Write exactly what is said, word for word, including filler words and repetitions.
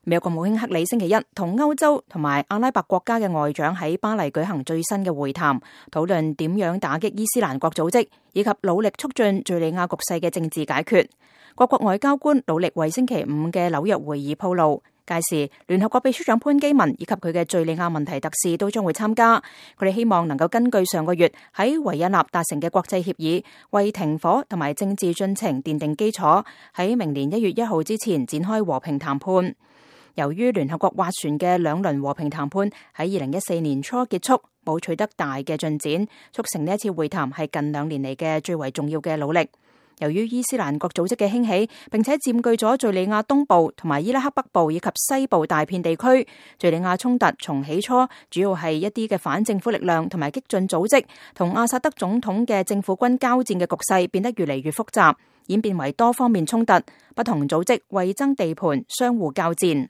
美國國務卿克里星期一同歐洲同埋阿拉伯國家嘅外長喺巴黎舉行最新嘅會談，討論點樣打擊伊斯蘭國組織，以及努力促進敘利亞局勢嘅政治解決。各國外交官努力為星期五嘅紐約會議鋪路。屆時，聯合國秘書長潘基文以及佢嘅敘利亞問題特使都將會參加。佢哋希望能夠根據上個月喺維也納達成嘅國際協議，為停火同埋政治進程奠定基礎，喺明年一月一號之前展開和平談判。由於聯合國斡旋嘅兩輪和平談判喺二零一四年初結束，冇取得大嘅進展，促成呢一次會談係近兩年嚟嘅最為重要嘅努力。由於伊斯蘭國組織嘅興起，並且佔據咗敘利亞東部同埋伊拉克北部以及西部大片地區，敘利亞衝突從起初主要係一啲嘅反政府力量同埋激進組織同阿薩德總統嘅政府軍交戰嘅局勢變得越嚟越複雜，演變為多方面衝突，不同組織為爭地盤，相互交戰。